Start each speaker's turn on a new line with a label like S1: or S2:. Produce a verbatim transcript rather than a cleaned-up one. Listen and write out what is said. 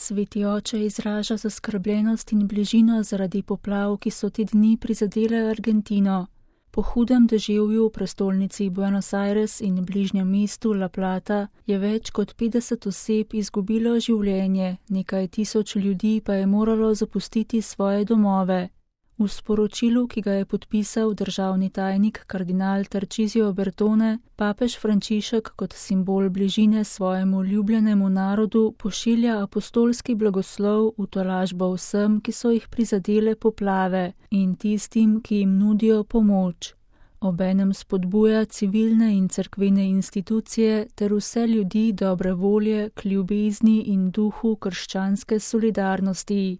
S1: Sveti oče izraža zaskrbljenost in bližino zaradi poplav, ki so te dni prizadele Argentino. Po hudem deževju v prestolnici Buenos Aires in bližnjem mestu La Plata je več kot petdeset oseb izgubilo življenje, nekaj tisoč ljudi pa je moralo zapustiti svoje domove. V sporočilu, ki ga je podpisal državni tajnik kardinal Tarcisio Bertone, papež Frančišek kot simbol bližine svojemu ljubljenemu narodu pošilja apostolski blagoslov v tolažbo vsem, ki so jih prizadele poplave in tistim, ki jim nudijo pomoč. Obenem spodbuja civilne in cerkvene institucije ter vse ljudi dobre volje k ljubezni in duhu krščanske solidarnosti.